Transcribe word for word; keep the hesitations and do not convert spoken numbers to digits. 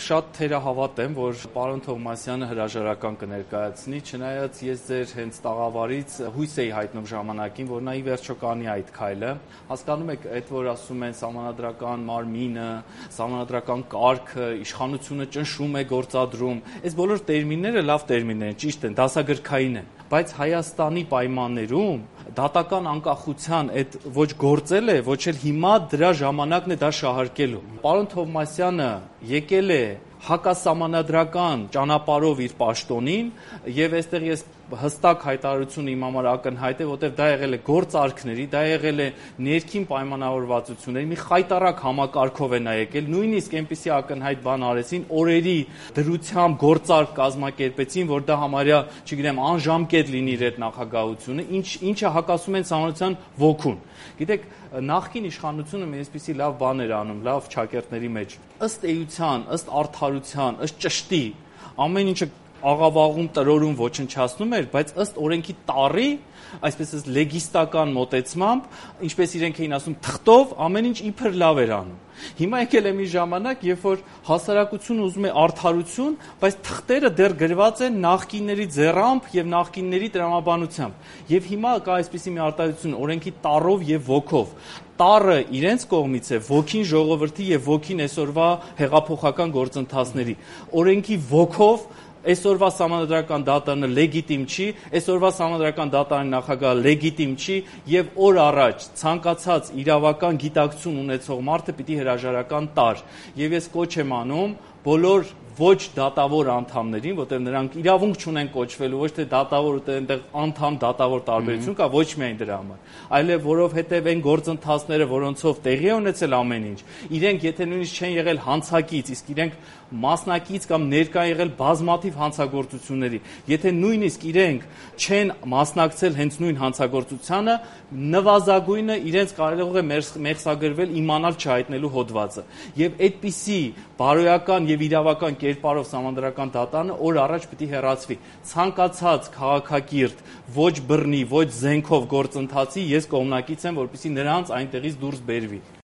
շատ թերահավատ եմ, որ պարոն Թովմասյանը հրաժարական կներկայացնի, չնայած ես ձեր հենց տաղավարից հույս էի հայտնում ժամանակին, որ նա ի վերջո կանի այդ քայլը։ Հասկանում եք, այդ որ ասում են սահմանադրական մարմինը, սահմանադրական կարգը, իշխանությունը ճնշում է գործադրում, այս բոլոր տերմինները լավ տերմիններ են, ճիշտ են, դասագրքային են, բայց Հայաստանի պայմաններում դատական անկախության այդ ոչ գործել է, ոչ էլ հիմա դրա ժամանակն է դա շահարկելու։ Պարոն Թովմասյանը եկել է հակասահմանադրական ճանապարհով իր պաշտոնին եւ այստեղ ես հստակ հայտարարություն իմ համար ակնհայտ է, որտեղ դա եղել է գործարքների, դա եղել է ներքին պայմանավորվածությունների, մի խայտառակ համակարգով է նա եկել, նույնիսկ այնպիսի ակնհայտ բան արեցին, օրերի դրությամբ գործարք կազմակերպեցին, որ դա համարյա, չգիտեմ, անժամկետ լինի իր այդ նախագահությունը, ինչ ինչը հակասում են սահմանության ոգուն։ Գիտեք, նախկին իշխանությունը մի այսպիսի լավ բան էր անում, լավ ճակերտների մեջ, ըստ էության, ըստ արդարության, ըստ ճշտի, ամեն ինչը աղավաղում տրորում ոչնչացնում էր, բայց ըստ օրենքի տառի, այսպես ասած լեգիստական մոտեցմամբ, ինչպես իրենք էին ասում, թղթով ամեն ինչ իբր լավ էր անում։ Հիմա եկել է մի ժամանակ, երբ որ հասարակությունը ուզում է արդարություն, բայց թղթերը դեռ գրված են նախկինների ձեռամբ եւ նախկինների տրամաբանությամբ։ Եվ հիմա կա այսպիսի մի արտահայտություն օրենքի տառով եւ ոգով։ Տառը իրենց կողմից է, ոգին ժողովրդի եւ ոգին այսօրվա հեղափոխական գործընթացների։ Օրենքի ոգով այսօրվա սահմանադրական դատարանը լեգիտիմ չի, այսօրվա սահմանադրական դատարանի նախագահը լեգիտիմ չի եւ օր առաջ ցանկացած իրավական գիտակցություն ունեցող մարդը պիտի հրաժարական տար։ Եվ ես կոչ եմ անում բոլոր ոչ դատավոր անդամներին, որտեղ նրանք իրավունք չունեն կոչվելու, ոչ թե դատավոր ու այնտեղ անդամ դատավոր տարբերություն կա, ոչ միայն դրա համար, այլև որովհետև այն գործընթացները, որոնցով տեղի է ունեցել ամեն ինչ, իրենք եթե նույնիսկ չեն եղել հանցակից, իսկ իրենք մասնակից կամ ներկա եղել բազմաթիվ հանցագործությունների, եթե նույնիսկ իրենք չեն մասնակցել հենց նույն հանցագործությանը, նվազագույնը իրենց կարող է մեղսագրվել իմանալ չհայտնելու հոդվածը։ Եվ այդպիսի բարոյական եւ իրավական կերպարով սահմանադրական դատարանը օր առաջ պիտի հեռացվի։ Ցանկացած քաղաքակիրթ, ոչ բռնի, ոչ զենքով գործընթացի ես կողմնակից եմ, որպեսզի նրանց այնտեղից դուրս բերվի։